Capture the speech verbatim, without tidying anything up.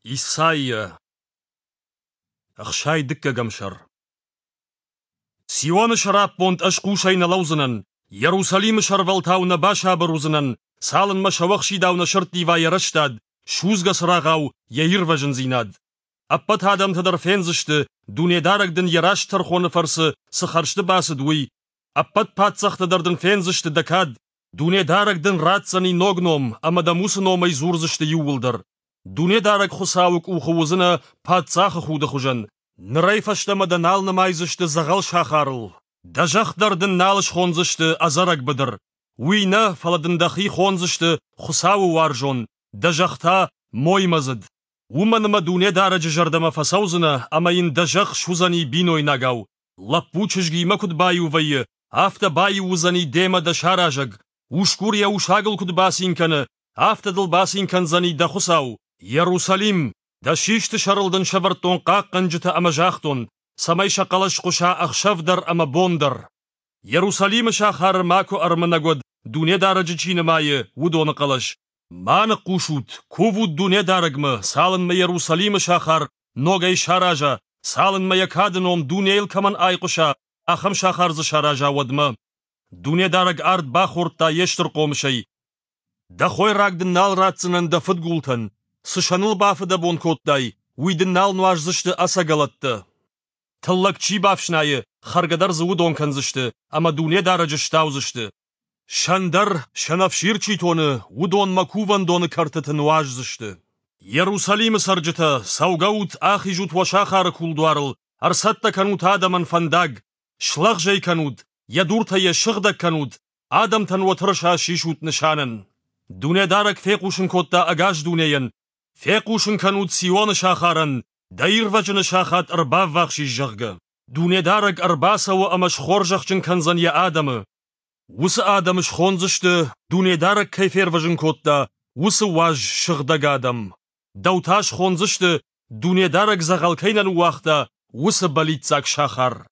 Исайя. Ӕхсай дыккӕгӕм сӕр. Сионы сӕраппонд ӕз хъусӕй нӕ лӕудзынӕн, Иерусалимы сӕрвӕлтау нӕ басабыр уыдзынӕн, цалынмӕ сӕуӕхсидау нӕ сӕрттива йӕ рӕстад, судзгӕ цырагъау йӕ ирвӕзындзинад. Ӕппӕт адӕмтӕ дӕр фендзысты, Дунедарӕг дын йӕ раст тӕрхоны фӕрцы цы хӕрзты бацыд, уый. Ӕппӕт паддзӕхтӕ дӕр дын фендзысты дӕ кад, Дунедарӕг дын ратдзӕни ног ном, ӕмӕ дӕм уыцы номӕй дзурдзысты иууылдӕр. Дунедарӕг Хуыцауы къухы уыдзынӕ паддзахы худы хуызӕн. Нырӕй фӕстӕмӕ дӕ нал нымайдзысты дзӕгъӕл сахарыл. Дӕ зӕхх дӕр дын нал схондзысты ӕдзӕрӕг быдыр. Уый нӕ, фӕлӕ дын дӕхи хондзысты Хуыцауы уарзон, дӕ зӕхх та моймӕдзыд. Уымӕн ӕмӕ Дунедарӕджы зӕрдӕмӕ фӕцӕудзынӕ ӕмӕ йын дӕ зӕхх суыдзӕни бинойнагау. Лӕппу чызгимӕ куыд баиу вӕййы, афтӕ баиу уыдзӕни демӕ дӕ саразӕг. Усгур йӕ усагыл куыд бацин кӕны, афтӕ дыл бацин кӕндзӕни дӕ Хуыцау. Иерусалим, дӕ систы сӕрыл дын сӕвӕрдтон хъахъхъӕнджытӕ ӕмӕ загътон, цӕмӕй сӕ хъӕлӕс хъуыса ӕхсӕв дӕр ӕмӕ бон дӕр. Иерусалимы сахары макуы ӕрмынӕг уӕд, Дунедарӕджы чи нымайы, уыдоны хъӕлӕс. Ма ныхъхъус ут, кувут Дунедарӕгмӕ, цалынмӕ Иерусалимы сахар ногӕй сараза, цалынмӕ йӕ кады ном дунейыл кӕмӕн айхъуыса, ахӕм сахар дзы сараза, уӕдмӕ. Дунедарӕг ард бахордта йе стыр хъомысӕй. Дӕ хойраг дын нал ратдзынӕн дӕ фыдгултӕн, цы сӕныл бафыдӕбон кодтай, уый дын нал нуаздзысты ӕцӕгӕлӕттӕ. Тыллӕг чи бафснайы, хӕргӕ дӕр дзы уыдон кӕндзысты, ӕмӕ Дунедарӕджы стаудзысты. Сӕн дӕр, сӕнӕфсир чи тоны, уыдон мӕ кувӕндоны кӕртыты нуаздзысты. Иерусалимы цӕрджытӕ, цӕугӕут, ахизут уӕ сахары кулдуарыл, ӕрцӕттӕ кӕнут адӕмӕн фӕндаг, слӕгъз ӕй кӕнут, йӕ дуртӕ йӕ сыгъдӕг кӕнут, адӕмтӕн уӕ тырыса сисут нысанӕн. Дунедарӕг фехъусын кодта ӕгас дунейӕн, фехъусын кӕнут Сионы сахарӕн, дӕ ирвӕзыны сахат ӕрбаввахс ис, зӕгъгӕ. Дунедарӕг ӕрбацӕуы ӕмӕ схорзӕхджын кӕндзӕн йӕ адӕмы. Уыцы адӕмы схондзысты, Дунедарӕг кӕй фервӕзын кодта, уыцы уаз сыгъдӕг адӕм. Дӕу та схондзысты, Дунедарӕг дзӕгъӕл кӕй нӕ ныууагъта, уыцы бӕллиццаг сахар.